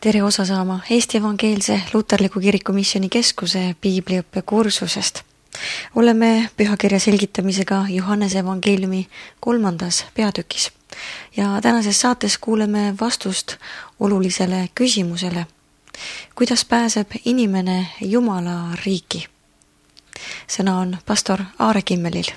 Tere osa saama Eesti Evangeelse Luterliku Kiriku Missiooni Keskuse piibliõppe kursusest. Oleme pühakirja selgitamisega Johannese evangeeliumi 3. peatükis ja tänases saates kuuleme vastust olulisele küsimusele. Kuidas pääseb inimene Jumala riiki? Sõna on pastor Aare Kimmelil.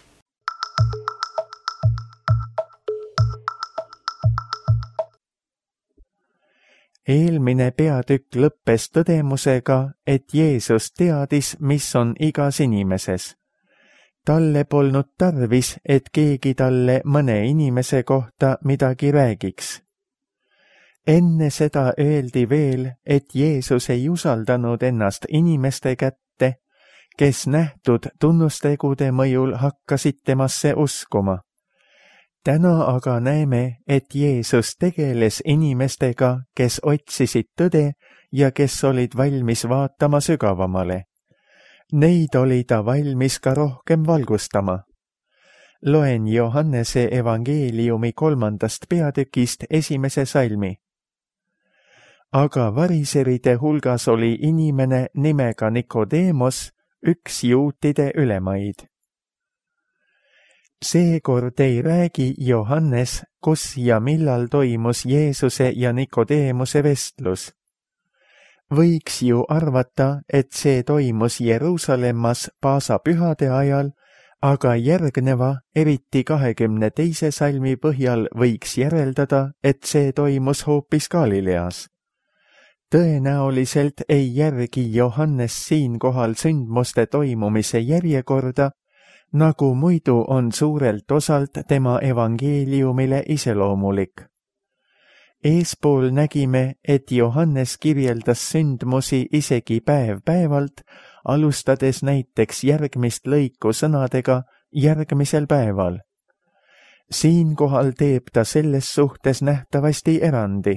Eelmine peatükk lõppes tõdemusega, et Jeesus teadis, mis on igas inimeses. Talle polnud tarvis, et keegi talle mõne inimese kohta midagi räägiks. Enne seda öeldi veel, et Jeesus ei usaldanud ennast inimeste kätte, kes nähtud tunnustegude mõjul hakkasid temasse uskuma. Täna aga näeme, et Jeesus tegeles inimestega, kes otsisid tõde ja kes olid valmis vaatama sügavamale. Neid oli ta valmis ka rohkem valgustama. Loen Johannese evangeeliumi 3. peatükist 1. salmi. Aga variseride hulgas oli inimene nimega Nikodeemos, üks juutide ülemaid. Seekord ei räägi Johannes, kus ja millal toimus Jeesuse ja Nikodeemuse vestlus. Võiks ju arvata, et see toimus Jeruusalemmas paasapühade ajal, aga järgneva, eriti 22. salmi põhjal võiks järeldada, et see toimus hoopis Galileas. Tõenäoliselt ei järgi Johannes siinkohal sündmuste toimumise järjekorda, nagu muidu on suurelt osalt tema evangeeliumile iseloomulik. Eespool nägime, et Johannes kirjeldas sündmusi isegi päev-päevalt, alustades näiteks järgmist lõiku sõnadega järgmisel päeval. Siinkohal teeb ta selles suhtes nähtavasti erandi.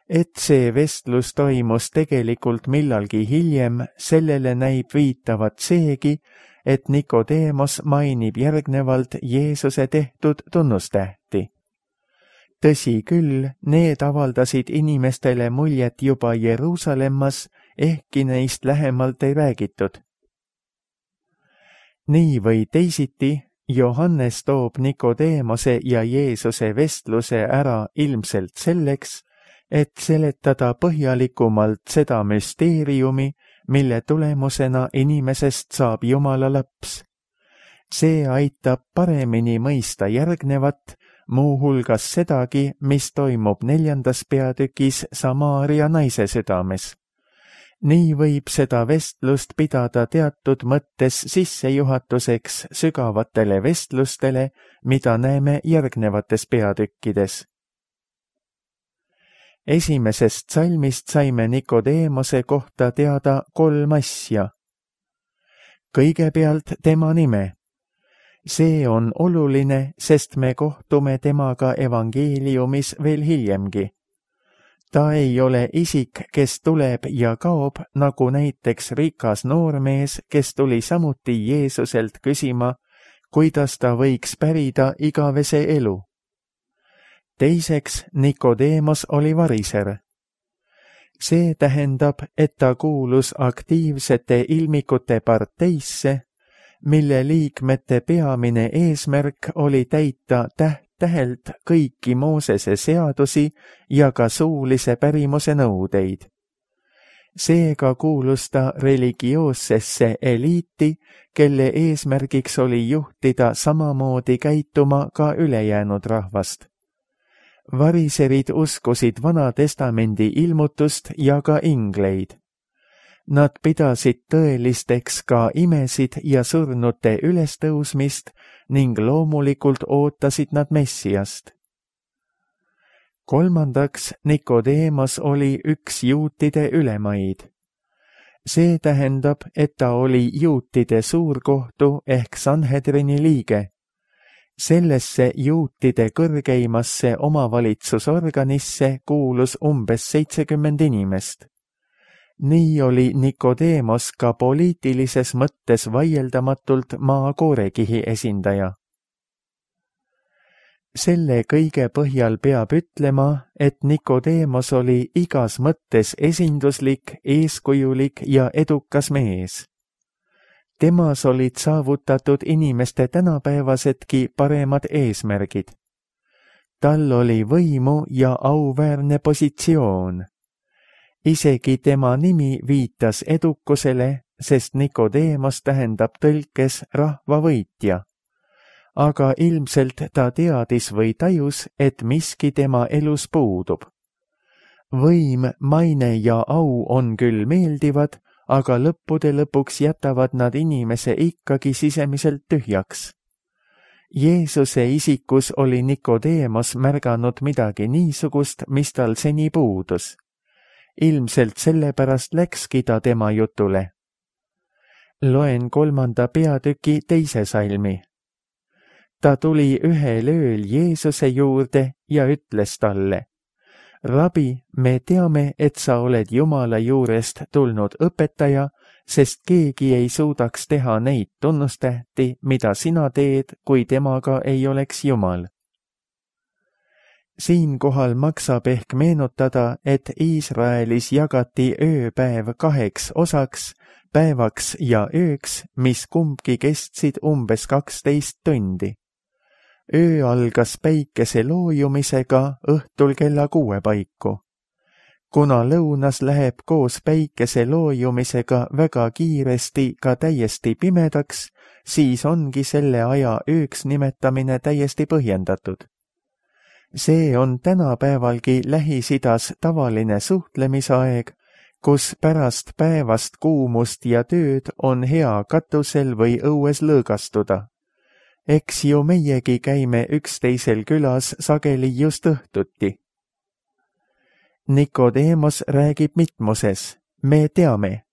Et see vestlus toimus tegelikult millalgi hiljem, sellele näib viitavat seegi, et Nikodeemos mainib järgnevalt Jeesuse tehtud tunnustähti. Tõsi küll, need avaldasid inimestele muljet juba Jeruusalemmas, ehkki neist lähemalt ei räägitud. Nii või teisiti, Johannes toob Nikodeemose ja Jeesuse vestluse ära ilmselt selleks, et seletada põhjalikumalt seda müsteeriumi, mille tulemusena inimesest saab Jumala laps. See aitab paremini mõista järgnevat, muuhulgas sedagi, mis toimub 4. peatükis Samaaria naise südames. Nii võib seda vestlust pidada teatud mõttes sissejuhatuseks sügavatele vestlustele, mida näeme järgnevates peatükkides. Esimesest salmist saime Nikodeemose kohta teada 3 asja. Kõigepealt tema nime. See on oluline, sest me kohtume temaga evangeeliumis veel hiljemgi. Ta ei ole isik, kes tuleb ja kaob, nagu näiteks rikas noormees, kes tuli samuti Jeesuselt küsima, kuidas ta võiks pärida igavese elu. Teiseks, Nikodeemos oli variser. See tähendab, et ta kuulus aktiivsete ilmikute parteisse, mille liikmete peamine eesmärk oli täita täht-tähelt kõiki Moosese seadusi ja ka suulise pärimuse nõudeid. Seega kuulus ta religioossesse eliiti, kelle eesmärgiks oli juhtida samamoodi käituma ka ülejäänud rahvast. Variserid uskusid Vana Testamendi ilmutust ja ka ingleid. Nad pidasid tõelisteks ka imesid ja surnute ülestõusmist ning loomulikult ootasid nad Messiast. Kolmandaks, Nikodeemos oli üks juutide ülemaid. See tähendab, et ta oli juutide suurkohtu ehk Sanhedrini liige. Sellesse juutide kõrgeimasse omavalitsusorganisse kuulus umbes 70 inimest. Nii oli Nikodeemos ka poliitilises mõttes vaieldamatult maa koorekihi esindaja. selle kõige põhjal peab ütlema, et Nikodeemos oli igas mõttes esinduslik, eeskujulik ja edukas mees. Temas olid saavutatud inimeste tänapäevasedki paremad eesmärgid. Tal oli võimu ja auväärne positsioon. Isegi tema nimi viitas edukusele, sest Nikodeemos tähendab tõlkes rahvavõitja. Aga ilmselt ta teadis või tajus, et miski tema elus puudub. Võim, maine ja au on küll meeldivad, aga lõppude lõpuks jätavad nad inimese ikkagi sisemiselt tühjaks. Jeesuse isikus oli Nikodeemos märganud midagi niisugust, mis tal seni puudus. Ilmselt sellepärast läkski ta tema jutule. Loen 3. peatüki 2. salmi. Ta tuli ühel ööl Jeesuse juurde ja ütles talle: Rabi, me teame, et sa oled Jumala juurest tulnud õpetaja, sest keegi ei suudaks teha neid tunnustähti, mida sina teed, kui temaga ei oleks Jumal. Siinkohal maksab ehk meenutada, et Iisraelis jagati ööpäev 2 osaks, päevaks ja ööks, mis kumbki kestsid umbes 12 tundi. Öö algas päikese loojumisega õhtul kella 6 paiku. Kuna lõunas läheb koos päikese loojumisega väga kiiresti ka täiesti pimedaks, siis ongi selle aja ööks nimetamine täiesti põhjendatud. See on tänapäevalgi Lähis-Idas tavaline suhtlemisaeg, kus pärast päevast kuumust ja tööd on hea katusel või õues lõõgastuda. Eks ju meiegi käime üksteisel külas sageli just õhtuti. Nikodeemos räägib mitmuses, me teame.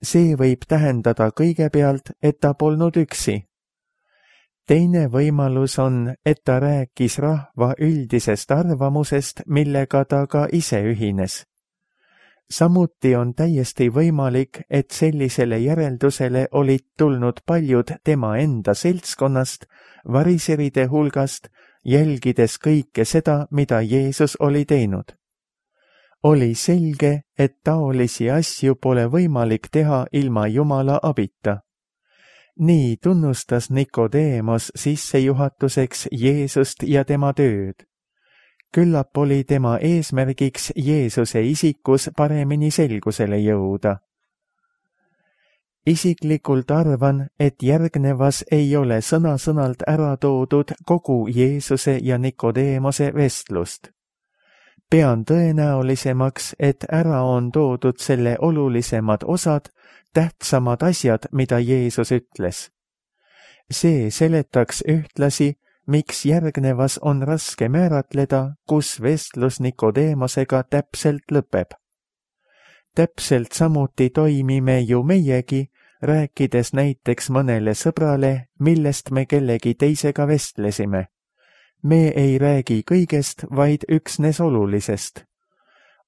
See võib tähendada kõigepealt, et ta polnud üksi. Teine võimalus on, et ta rääkis rahva üldisest arvamusest, millega ta ka ise ühines. Samuti on täiesti võimalik, et sellisele järeldusele olid tulnud paljud tema enda seltskonnast, variseride hulgast, jälgides kõike seda, mida Jeesus oli teinud. Oli selge, et taolisi asju pole võimalik teha ilma Jumala abita. Nii tunnustas Nikodeemos sissejuhatuseks Jeesust ja tema tööd. Küllap oli tema eesmärgiks Jeesuse isikus paremini selgusele jõuda. Isiklikult arvan, et järgnevas ei ole sõna-sõnalt ära toodud kogu Jeesuse ja Nikodeemose vestlust. Pean tõenäolisemaks, et ära on toodud selle olulisemad osad, tähtsamad asjad, mida Jeesus ütles. See seletaks ühtlasi, miks järgnevas on raske määratleda, kus vestlus Nikodeemosega täpselt lõpeb. Täpselt samuti toimime ju meiegi, rääkides näiteks mõnele sõbrale, millest me kellegi teisega vestlesime. Me ei räägi kõigest, vaid üksnes olulisest.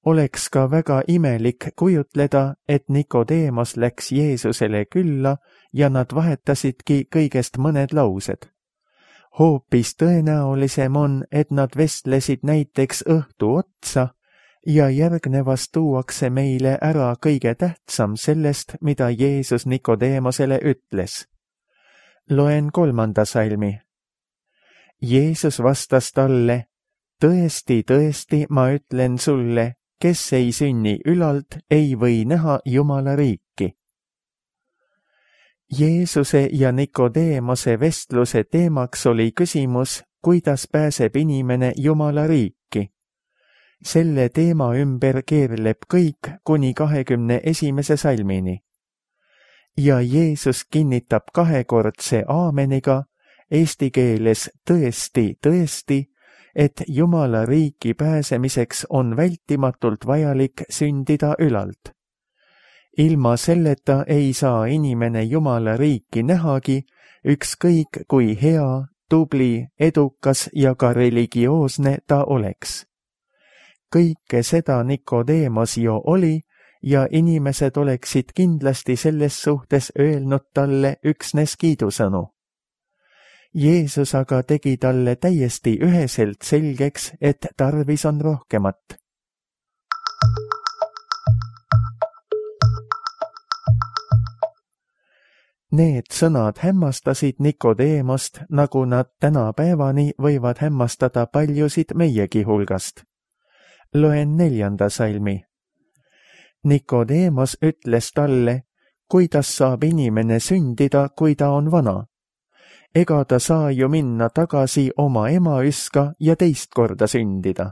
Oleks ka väga imelik kujutleda, et Nikodeemos läks Jeesusele külla ja nad vahetasidki kõigest mõned laused. Hoopis tõenäolisem on, et nad vestlesid näiteks õhtu otsa ja järgnevas tuuakse meile ära kõige tähtsam sellest, mida Jeesus Nikodeemosele ütles. Loen 3. salmi. Jeesus vastas talle: tõesti, tõesti, ma ütlen sulle, kes ei sünni ülalt, ei või näha Jumala riiki. Jeesuse ja Nikodeemose vestluse teemaks oli küsimus, kuidas pääseb inimene Jumala riiki. Selle teema ümber keerleb kõik kuni 21. salmini. Ja Jeesus kinnitab kahekordse aameniga, eesti keeles tõesti, tõesti, et Jumala riiki pääsemiseks on vältimatult vajalik sündida ülalt. Ilma selleta ei saa inimene Jumala riiki nähagi, ükskõik kui hea, tubli, edukas ja ka religioosne ta oleks. Kõike seda Nikodeemos ju oli ja inimesed oleksid kindlasti selles suhtes öelnud talle üksnes kiidusõnu. Jeesus aga tegi talle täiesti üheselt selgeks, et tarvis on rohkemat. Need sõnad hämmastasid Nikodeemost, nagu nad tänapäevani võivad hämmastada paljusid meiegi hulgast. Loen 4. salmi. Nikodeemos ütles talle, kuidas saab inimene sündida, kui ta on vana? Ega ta saa ju minna tagasi oma emaüska ja teist korda sündida.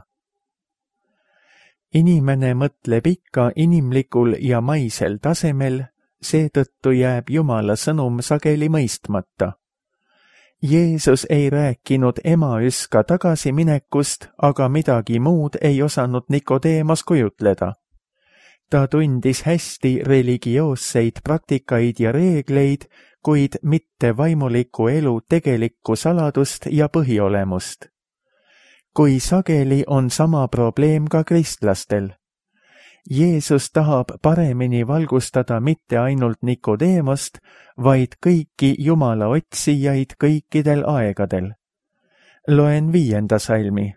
Inimene mõtleb ikka inimlikul ja maisel tasemel, seetõttu jääb Jumala sõnum sageli mõistmata. Jeesus ei rääkinud emaüska tagasiminekust, aga midagi muud ei osanud Nikodeemos kujutleda. Ta tundis hästi religioosseid praktikaid ja reegleid, kuid mitte vaimuliku elu tegelikku saladust ja põhiolemust. Kui sageli on sama probleem ka kristlastel. Jeesus tahab paremini valgustada mitte ainult Nikodeemost, vaid kõiki Jumala otsijaid kõikidel aegadel. Loen 5. salmi.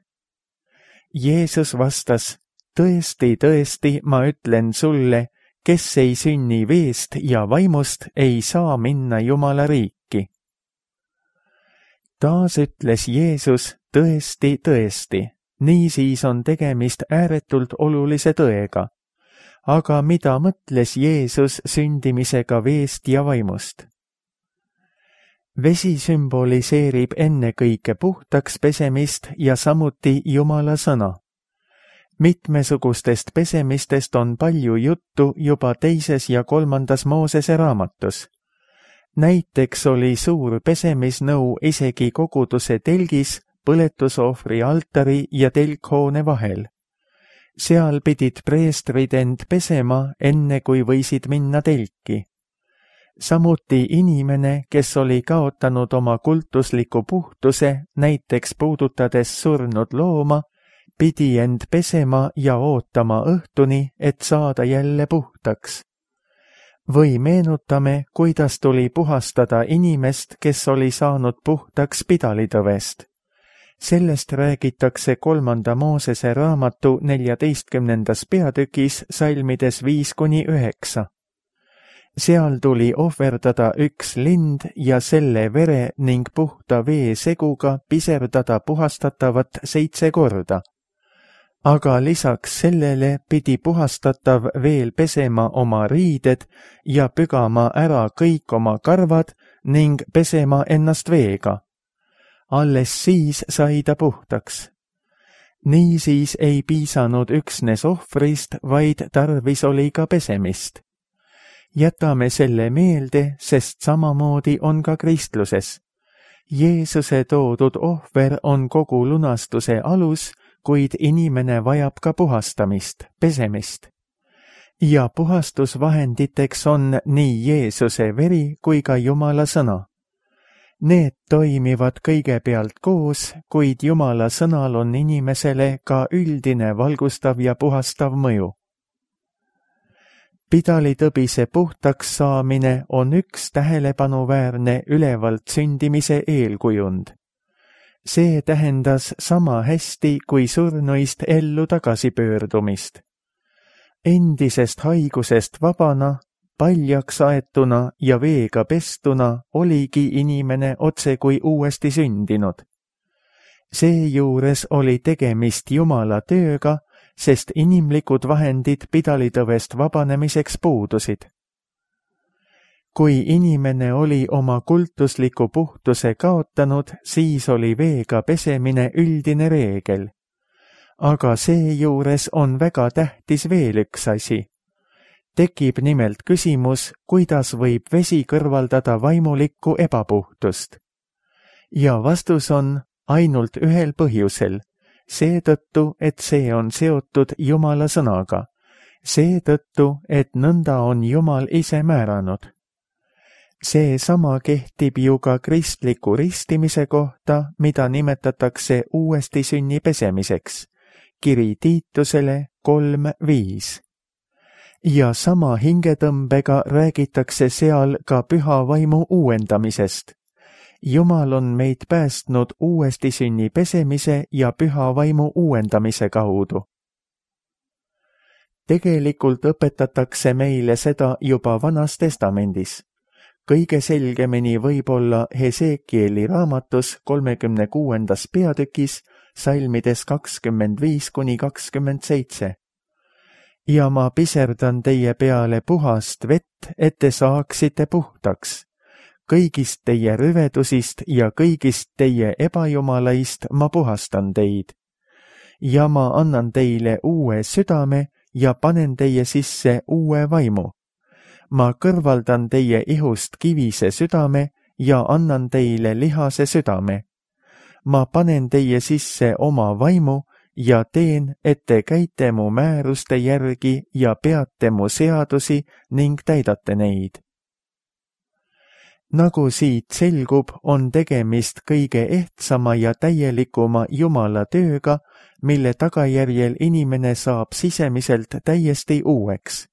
Jeesus vastas, tõesti, tõesti, ma ütlen sulle, kes ei sünni veest ja vaimust, ei saa minna Jumala riiki. Taas ütles Jeesus, tõesti, tõesti, niisiis on tegemist ääretult olulise tõega. Aga mida mõtles Jeesus sündimisega veest ja vaimust? Vesi sümboliseerib ennekõike puhtaks pesemist ja samuti Jumala sõna. Mitmesugustest pesemistest on palju juttu juba 2. ja 3. Moosese raamatus. Näiteks oli suur pesemisnõu isegi koguduse telgis, põletusohvri altari ja telkhoone vahel. Seal pidid preestrid end pesema, enne kui võisid minna telki. Samuti inimene, kes oli kaotanud oma kultusliku puhtuse, näiteks puudutades surnud looma, pidi end pesema ja ootama õhtuni, et saada jälle puhtaks. Või meenutame, kuidas tuli puhastada inimest, kes oli saanud puhtaks pidalitõvest. Sellest räägitakse 3. Moosese raamatu 14. peatükis salmides 5-9. Seal tuli ohverdada üks lind ja selle vere ning puhta vee seguga piserdada puhastatavat 7 korda. Aga lisaks sellele pidi puhastatav veel pesema oma riided ja pügama ära kõik oma karvad ning pesema ennast veega. Alles siis sai ta puhtaks. Niisiis ei piisanud üksnes ohvrist, vaid tarvis oli ka pesemist. Jätame selle meelde, sest samamoodi on ka kristluses. Jeesuse toodud ohver on kogu lunastuse alus, kuid inimene vajab ka puhastamist, pesemist. Ja puhastusvahenditeks on nii Jeesuse veri kui ka Jumala sõna. Need toimivad kõigepealt koos, kuid Jumala sõnal on inimesele ka üldine valgustav ja puhastav mõju. Pidalitõbise puhtaks saamine on üks tähelepanuväärne ülevalt sündimise eelkujund. See tähendas sama hästi kui surnuist ellu tagasipöördumist. Endisest haigusest vabana, paljaks aetuna ja veega pestuna oligi inimene otse kui uuesti sündinud. Seejuures oli tegemist Jumala tööga, sest inimlikud vahendid pidalitõvest vabanemiseks puudusid. Kui inimene oli oma kultusliku puhtuse kaotanud, siis oli veega pesemine üldine reegel. Aga seejuures on väga tähtis veel üks asi. Tekib nimelt küsimus, kuidas võib vesi kõrvaldada vaimulikku ebapuhtust. Ja vastus on ainult ühel põhjusel, seetõttu, et see on seotud Jumala sõnaga, seetõttu, et nõnda on Jumal ise määranud. Seesama kehtib ju ka kristliku ristimise kohta, mida nimetatakse uuesti sünni pesemiseks, kiri Tiitusele 3:5. Ja sama hingetõmbega räägitakse seal ka püha vaimu uuendamisest. Jumal on meid päästnud uuesti sünni pesemise ja püha vaimu uuendamise kaudu. Tegelikult õpetatakse meile seda juba Vanas Testamendis. Kõige selgemini võib-olla Hesekieli raamatus 36. peatükis salmides 25–27. Ja ma piserdan teie peale puhast vett, et te saaksite puhtaks. Kõigist teie rüvedusist ja kõigist teie ebajumalaist ma puhastan teid. Ja ma annan teile uue südame ja panen teie sisse uue vaimu. Ma kõrvaldan teie ihust kivise südame ja annan teile lihase südame. Ma panen teie sisse oma vaimu ja teen, et te käite mu määruste järgi ja peate mu seadusi ning täidate neid. Nagu siit selgub, on tegemist kõige ehtsama ja täielikuma Jumala tööga, mille tagajärjel inimene saab sisemiselt täiesti uueks.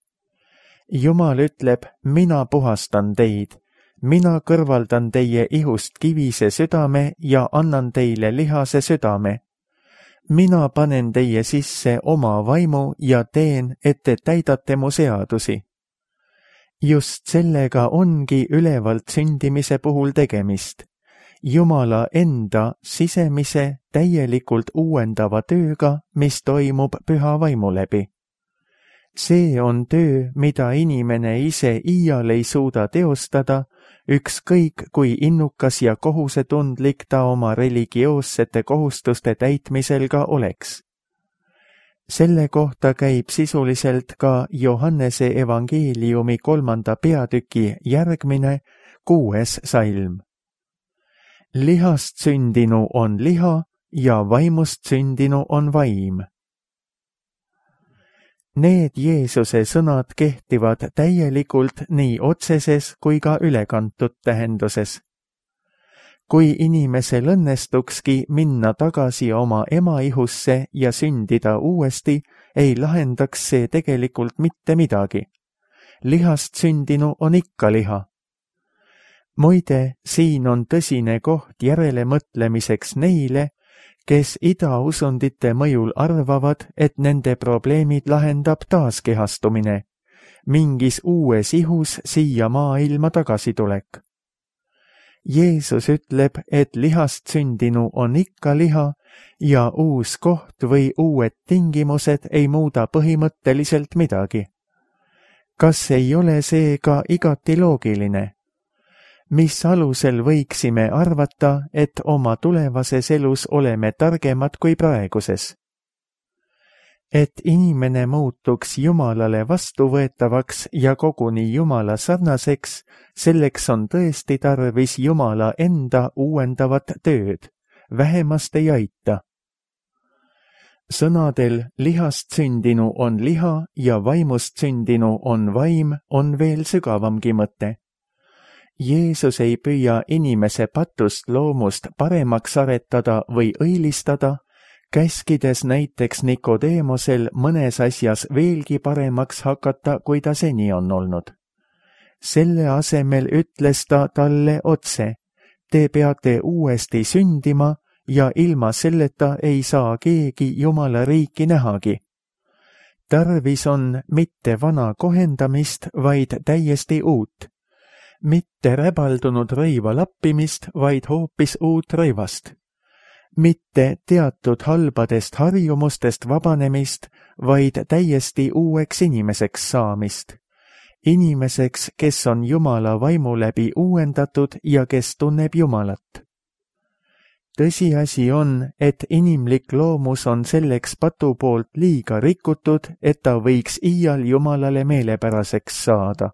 Jumal ütleb, mina puhastan teid, mina kõrvaldan teie ihust kivise südame ja annan teile lihase südame. Mina panen teie sisse oma vaimu ja teen, et te täidate mu seadusi. Just sellega ongi ülevalt sündimise puhul tegemist. Jumala enda sisemise täielikult uuendava tööga, mis toimub püha vaimu läbi. See on töö, mida inimene ise iial ei suuda teostada, ükskõik kui innukas ja kohusetundlik ta oma religioossete kohustuste täitmisel ka oleks. Selle kohta käib sisuliselt ka Johannese evangeeliumi 3. peatüki järgmine 6. salm. Lihast sündinu on liha ja vaimust sündinu on vaim. Need Jeesuse sõnad kehtivad täielikult nii otseses kui ka ülekantud tähenduses. Kui inimesel õnnestukski minna tagasi oma emaihusse ja sündida uuesti, ei lahendaks see tegelikult mitte midagi. Lihast sündinu on ikka liha. Muide, siin on tõsine koht järelemõtlemiseks neile, kes idausundite mõjul arvavad, et nende probleemid lahendab taaskehastumine, mingis uues ihus siia maailma tagasitulek. Jeesus ütleb, et lihast sündinu on ikka liha ja uus koht või uued tingimused ei muuda põhimõtteliselt midagi. Kas ei ole see ka igati loogiline? Mis alusel võiksime arvata, et oma tulevases elus oleme targemad kui praeguses? Et inimene muutuks Jumalale vastuvõetavaks ja koguni Jumala sarnaseks, selleks on tõesti tarvis Jumala enda uuendavat tööd, vähemast ei aita. Sõnadel lihast sündinu on liha ja vaimust sündinu on vaim on veel sügavamgi mõte. Jeesus ei püüa inimese patust loomust paremaks aretada või õilistada, käskides näiteks Nikodeemosel mõnes asjas veelgi paremaks hakata, kui ta seni on olnud. Selle asemel ütles ta talle otse, te peate uuesti sündima ja ilma selleta ei saa keegi Jumala riiki nähagi. Tarvis on mitte vana kohendamist, vaid täiesti uut. Mitte räbaldunud rõiva lappimist, vaid hoopis uut rõivast. Mitte teatud halbadest harjumustest vabanemist, vaid täiesti uueks inimeseks saamist. Inimeseks, kes on Jumala vaimu läbi uuendatud ja kes tunneb Jumalat. Tõsiasi on, et inimlik loomus on selleks patu poolt liiga rikutud, et ta võiks iial Jumalale meelepäraseks saada.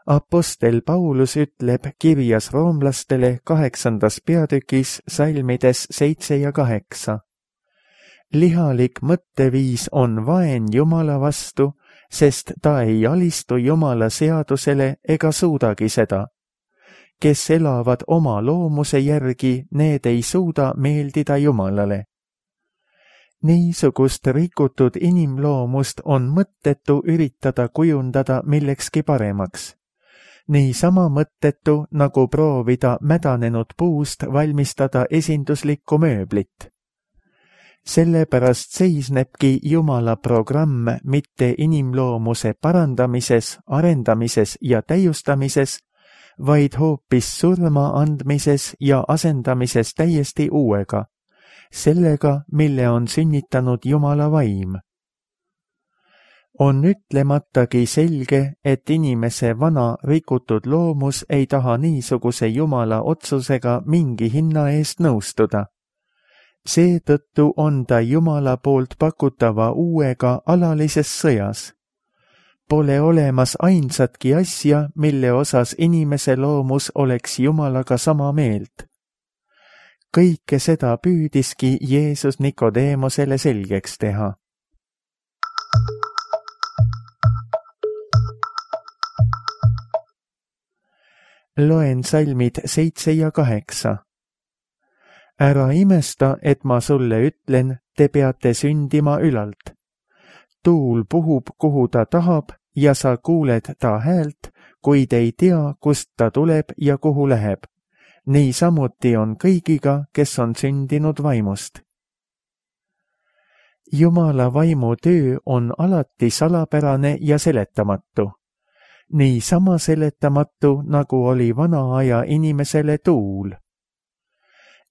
Apostel Paulus ütleb kirjas roomlastele 8. peatükis salmides 7 ja 8. Lihalik mõtteviis on vaen Jumala vastu, sest ta ei alistu Jumala seadusele ega suudagi seda. Kes elavad oma loomuse järgi, need ei suuda meeldida Jumalale. Niisugust rikutud inimloomust on mõttetu üritada kujundada millekski paremaks. niisama mõttetu, nagu proovida mädanenud puust valmistada esinduslikku mööblit. Sellepärast seisnebki Jumala programm mitte inimloomuse parandamises, arendamises ja täiustamises, vaid hoopis surma andmises ja asendamises täiesti uuega, sellega, mille on sünnitanud Jumala vaim. On ütlematagi selge, et inimese vana rikutud loomus ei taha niisuguse Jumala otsusega mingi hinna eest nõustuda. Seetõttu on ta Jumala poolt pakutava uuega alalises sõjas. Pole olemas ainsatki asja, mille osas inimese loomus oleks Jumalaga sama meelt. Kõike seda püüdiski Jeesus Nikodeemosele selgeks teha. Loen salmid 7 ja 8. Ära imesta, et ma sulle ütlen, te peate sündima ülalt. Tuul puhub, kuhu ta tahab, ja sa kuuled ta häält, kuid ei tea, kust ta tuleb ja kuhu läheb. Niisamuti on kõigiga, kes on sündinud vaimust. Jumala vaimu töö on alati salapärane ja seletamatu. Niisama seletamatu, nagu oli vana aja inimesele tuul.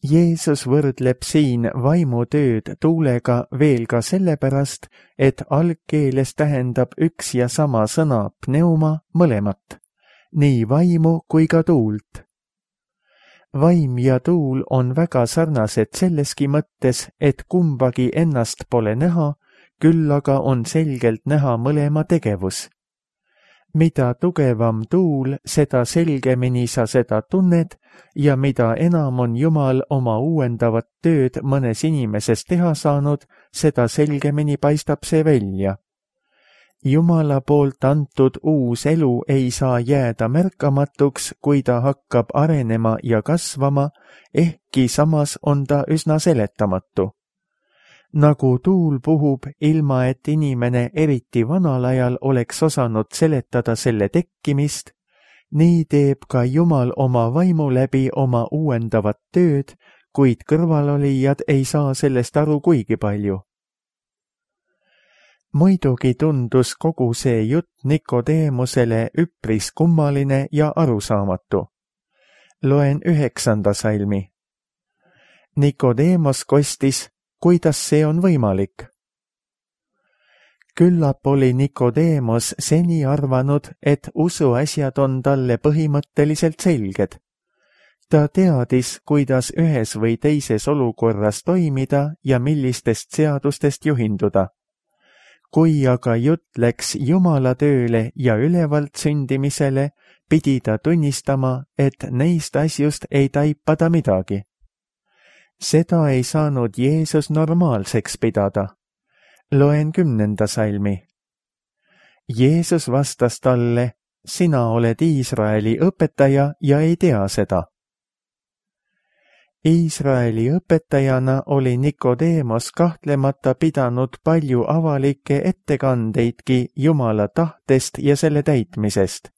Jeesus võrdleb siin vaimutööd tuulega veel ka sellepärast, et algkeeles tähendab üks ja sama sõna pneuma mõlemat, nii vaimu kui ka tuult. Vaim ja tuul on väga sarnased selleski mõttes, et kumbagi ennast pole näha, küll aga on selgelt näha mõlema tegevus. Mida tugevam tuul, seda selgemini sa seda tunned ja mida enam on Jumal oma uuendavat tööd mõnes inimeses teha saanud, seda selgemini paistab see välja. Jumala poolt antud uus elu ei saa jääda märkamatuks, kui ta hakkab arenema ja kasvama, ehkki samas on ta üsna seletamatu. Nagu tuul puhub, ilma et inimene eriti vanal ajal oleks osanud seletada selle tekkimist, nii teeb ka Jumal oma vaimu läbi oma uuendavat tööd, kuid kõrvalolijad ei saa sellest aru kuigi palju. Muidugi tundus kogu see jutt Nikodeemosele üpris kummaline ja arusaamatu. Loen 9. salmi. Nikodeemos kostis, kuidas see on võimalik? Küllap oli Nikodeemos seni arvanud, et usuasjad on talle põhimõtteliselt selged. Ta teadis, kuidas ühes või teises olukorras toimida ja millistest seadustest juhinduda. Kui aga jutt läks Jumala tööle ja ülevalt sündimisele, pidi ta tunnistama, et neist asjust ei taipa ta midagi. Seda ei saanud Jeesus normaalseks pidada. Loen 10. salmi. Jeesus vastas talle, sina oled Iisraeli õpetaja ja ei tea seda. Iisraeli õpetajana oli Nikodeemos kahtlemata pidanud palju avalikke ettekandeidki Jumala tahtest ja selle täitmisest.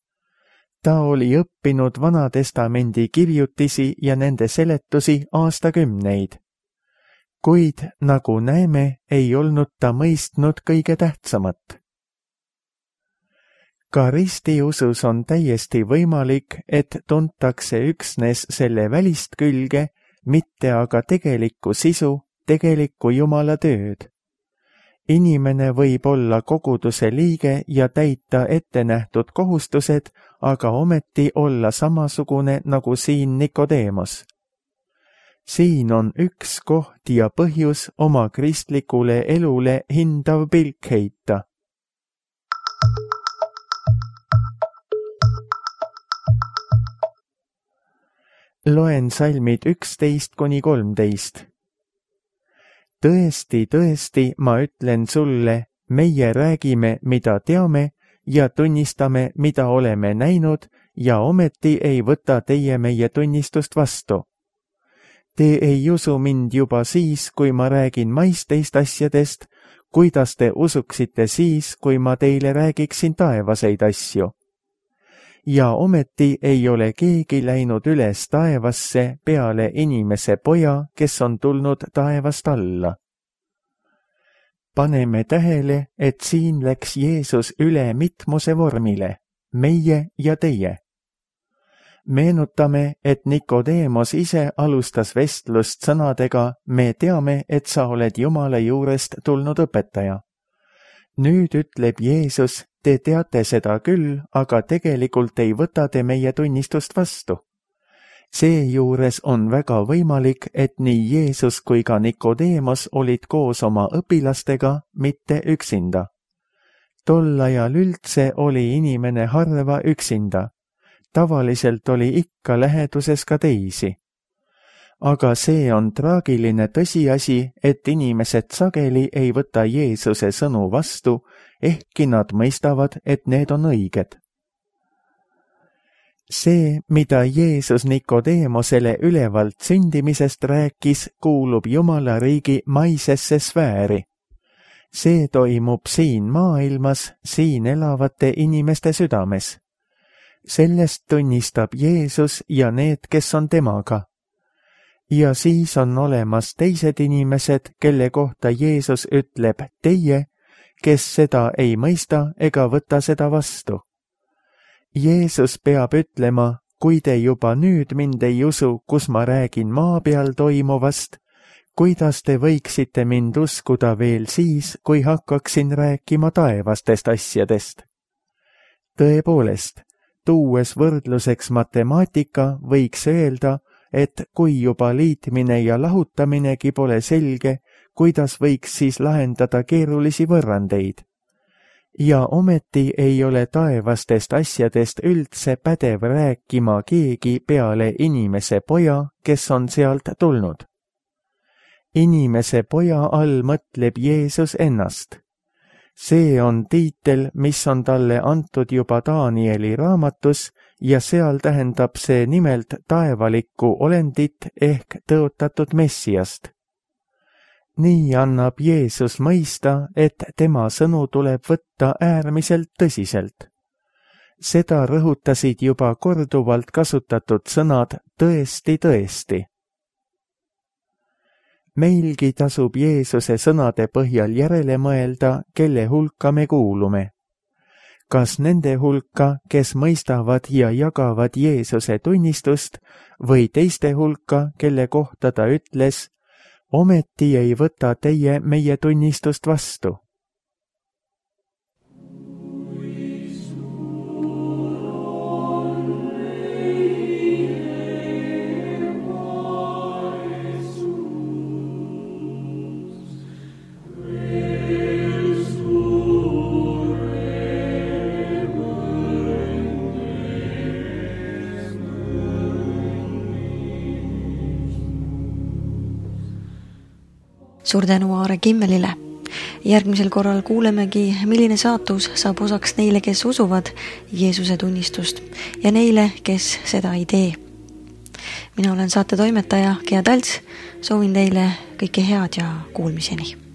Ta oli õppinud Vanatestamendi kirjutisi ja nende seletusi aastakümneid. Kuid, nagu näeme, ei olnud ta mõistnud kõige tähtsamat. Ka ristiusus on täiesti võimalik, et tuntakse üksnes selle välist külge, mitte aga tegelikku sisu, tegelikku Jumala tööd. Inimene võib olla koguduse liige ja täita ettenähtud kohustused, aga ometi olla samasugune nagu siin Nikodeemos. Siin on üks koht ja põhjus oma kristlikule elule hindav pilk heita. Loen salmid 11–13. Tõesti, tõesti, ma ütlen sulle, meie räägime, mida teame ja tunnistame, mida oleme näinud ja ometi ei võta teie meie tunnistust vastu. Te ei usu mind juba siis, kui ma räägin maisteist asjadest, kuidas te usuksite siis, kui ma teile räägiksin taevaseid asju. ja ometi ei ole keegi läinud üles taevasse peale inimese poja, kes on tulnud taevast alla. Paneme tähele, et siin läks Jeesus üle mitmuse vormile, meie ja teie. Meenutame, et Nikodeemos ise alustas vestlust sõnadega, me teame, et sa oled Jumala juurest tulnud õpetaja. Nüüd ütleb Jeesus, te teate seda küll, aga tegelikult ei võta te meie tunnistust vastu. Seejuures on väga võimalik, et nii Jeesus kui ka Nikodeemos olid koos oma õpilastega, mitte üksinda. Tol ajal üldse oli inimene harva üksinda. Tavaliselt oli ikka läheduses ka teisi. Aga see on traagiline tõsiasi, et inimesed sageli ei võta Jeesuse sõnu vastu, ehkki nad mõistavad, et need on õiged. See, mida Jeesus Nikodeemosele ülevalt sündimisest rääkis, kuulub Jumala riigi maisesse sfääri. See toimub siin maailmas, siin elavate inimeste südames. Sellest tunnistab Jeesus ja need, kes on temaga. Ja siis on olemas teised inimesed, kelle kohta Jeesus ütleb teie, kes seda ei mõista ega võta seda vastu. Jeesus peab ütlema, kui te juba nüüd mind ei usu, kus ma räägin maa peal toimuvast, kuidas te võiksite mind uskuda veel siis, kui hakkaksin rääkima taevastest asjadest. Tõepoolest, tuues võrdluseks matemaatika, võiks öelda, et kui juba liitmine ja lahutaminegi pole selge, kuidas võiks siis lahendada keerulisi võrrandeid. Ja ometi ei ole taevastest asjadest üldse pädev rääkima keegi peale inimese poja, kes on sealt tulnud. Inimese poja all mõtleb Jeesus ennast. See on tiitel, mis on talle antud juba Danieli raamatus ja seal tähendab see nimelt taevalikku olendit ehk tõotatud Messiast. Nii annab Jeesus mõista, et tema sõnu tuleb võtta äärmiselt tõsiselt. Seda rõhutasid juba korduvalt kasutatud sõnad tõesti, tõesti. Meilgi tasub Jeesuse sõnade põhjal järele mõelda, kelle hulka me kuulume. Kas nende hulka, kes mõistavad ja jagavad Jeesuse tunnistust, või teiste hulka, kelle kohta ta ütles, ometi ei võta teie meie tunnistust vastu. Suur tänu Aare Kimmelile. Järgmisel korral kuulemegi, milline saatus saab osaks neile, kes usuvad Jeesuse tunnistust ja neile, kes seda ei tee. Mina olen saate toimetaja Gea Talts, soovin teile kõike head ja kuulmiseni.